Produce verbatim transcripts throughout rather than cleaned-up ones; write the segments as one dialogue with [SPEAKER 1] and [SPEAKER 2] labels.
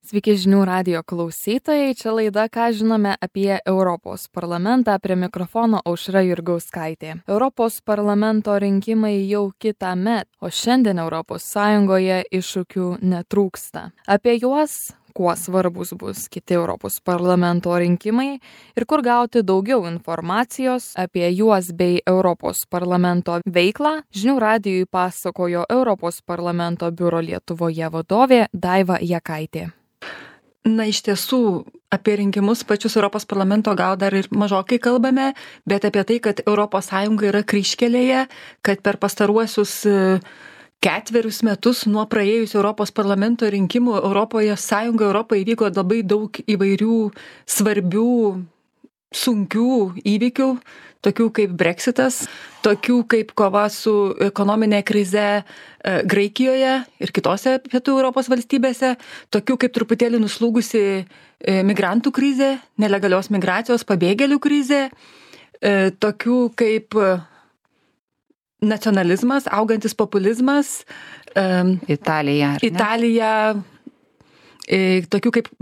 [SPEAKER 1] Sveiki žinių radijo klausytojai, čia laida Ką žinome apie Europos parlamentą, prie mikrofono Aušra Jurgauskaitė. Europos parlamento rinkimai jau kitąmet, o šiandien Europos Sąjungoje iššūkių netrūksta. Apie juos, kuo svarbus bus kiti Europos parlamento rinkimai ir kur gauti daugiau informacijos apie juos bei Europos parlamento veiklą, žinių radijui pasakojo Europos parlamento biuro Lietuvoje vadovė Daiva Jakaitė.
[SPEAKER 2] Na, iš tiesų, apie rinkimus pačius Europos parlamento gal dar ir mažokai kalbame, bet apie tai, kad Europos Sąjunga yra kryžkelėje, kad per pastaruosius ketverius metus nuo praėjusių Europos parlamento rinkimų Europoje Sąjunga Europoje įvyko labai daug įvairių svarbių, sunkių įvykių, tokių kaip Brexitas, tokių kaip kova su ekonominė krize Graikijoje ir kitose pietų Europos valstybėse, tokių kaip truputėlį nuslūgusi migrantų krizė, nelegalios migracijos pabėgėlių krizė, tokių kaip nacionalizmas, augantis populizmas,
[SPEAKER 3] Italija,
[SPEAKER 2] Italija, tokių kaip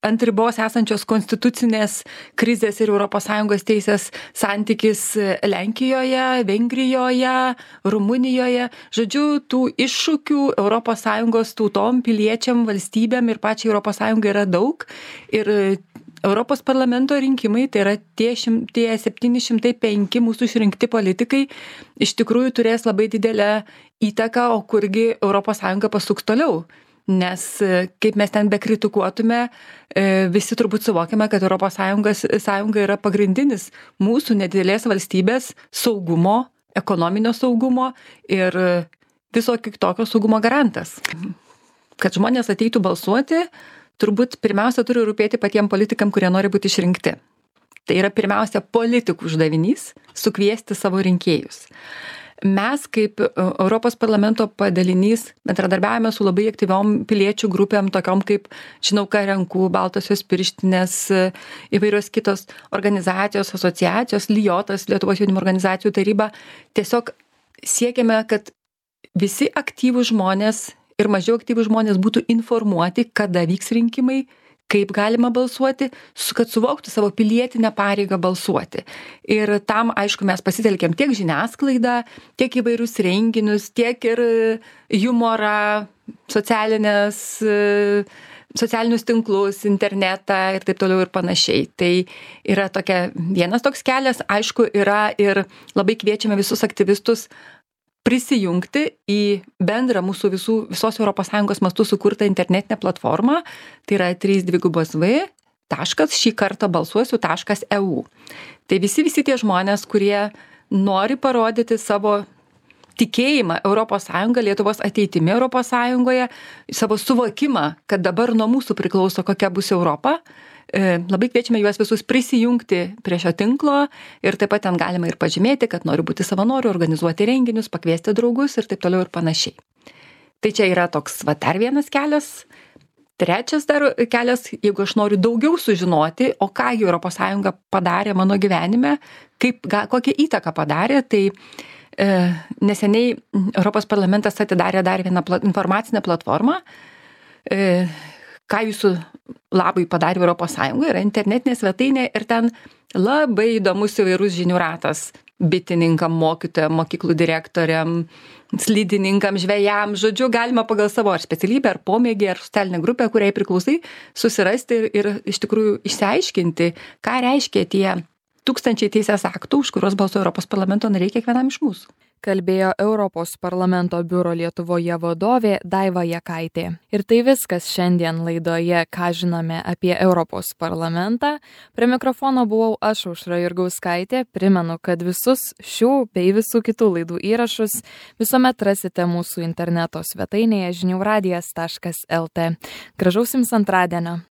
[SPEAKER 2] ant ribos esančios konstitucinės krizės ir Europos Sąjungos teisės santykis Lenkijoje, Vengrijoje, Rumunijoje. Žodžiu, tų iššūkių Europos Sąjungos tautom, piliečiam, valstybėm ir pačiai Europos Sąjungai yra daug. Ir Europos parlamento rinkimai, tai yra tie, šim, tie septyni šimtai penki mūsų išrinkti politikai, iš tikrųjų turės labai didelę įtaką, o kurgi Europos Sąjunga pasuks toliau. Nes kaip mes ten bekritikuotume, visi turbūt suvokiame, kad Europos Sąjungos, Sąjunga yra pagrindinis mūsų nedidelės valstybės saugumo, ekonominio saugumo ir viso kitokio saugumo garantas. Kad žmonės ateitų balsuoti, turbūt pirmiausia turi rūpėti patiems politikam, kurie nori būti išrinkti. Tai yra pirmiausia politikų uždavinys sukviesti savo rinkėjus. Mes kaip Europos parlamento padalinys bendradarbiavame su labai aktyviom piliečių grupėm, tokiom kaip Žinau, ką renku, Baltosios pirštinės, įvairios kitos organizacijos, asociacijos, Lijotas, Lietuvos jaunimo organizacijų taryba. Tiesiog siekiame, kad visi aktyvūs žmonės ir mažiau aktyvūs žmonės būtų informuoti, kada vyks rinkimai, kaip galima balsuoti, kad suvoktų savo pilietinę pareigą balsuoti. Ir tam, aišku, mes pasitelkėm tiek žiniasklaidą, tiek įvairius renginius, tiek ir humorą, socialinės, socialinius tinklus, internetą ir taip toliau ir panašiai. Tai yra tokia, vienas toks kelias, aišku, yra ir labai kviečiame visus aktyvistus prisijungti į bendrą mūsų visų, visos Europos Sąjungos mastų sukurtą internetinę platformą, tai yra trys dvigubos v taškas šį kartą balsuosiu taškas e u. Tai visi visi tie žmonės, kurie nori parodyti savo tikėjimą Europos Sąjungą, Lietuvos ateitimi Europos Sąjungoje, savo suvokimą, kad dabar nuo mūsų priklauso, kokia bus Europa. Labai kviečiame juos visus prisijungti prie šio tinklo ir taip pat ten galima ir pažymėti, kad noriu būti savanoriu, organizuoti renginius, pakviesti draugus ir taip toliau ir panašiai. Tai čia yra toks va, dar vienas kelias. Trečias dar kelias, jeigu aš noriu daugiau sužinoti, o ką Europos Sąjunga padarė mano gyvenime, kaip, ga, kokią įtaką padarė, tai e, neseniai Europos parlamentas atidarė dar vieną pla, informacinę platformą, e, ką jūsų labai padarė Europos Sąjunga, yra internetinė svetainė ir ten labai įdomus įvairus žinių ratas bitininkam, mokytojam, mokyklų direktoriam, slidininkam, žvejam, žodžiu, galima pagal savo ar specialybę, ar pomėgį, ar socialinę grupę, kuriai priklausai, susirasti ir, ir iš tikrųjų išsiaiškinti, ką reiškia tie tūkstančiai teisės aktų, už kuriuos balsuoja Europos parlamento nariai kiekvienam iš mūsų.
[SPEAKER 1] Kalbėjo Europos parlamento biuro Lietuvoje vadovė Daiva Jakaitė. Ir tai viskas šiandien laidoje Ką žinome apie Europos parlamentą. Prie mikrofono buvau aš, Aušra Jurgauskaitė. Primenu, kad visus šių bei visų kitų laidų įrašus visuomet rasite mūsų interneto svetainėje žinių radijas taškas el tė. Gražaus jums antradienio.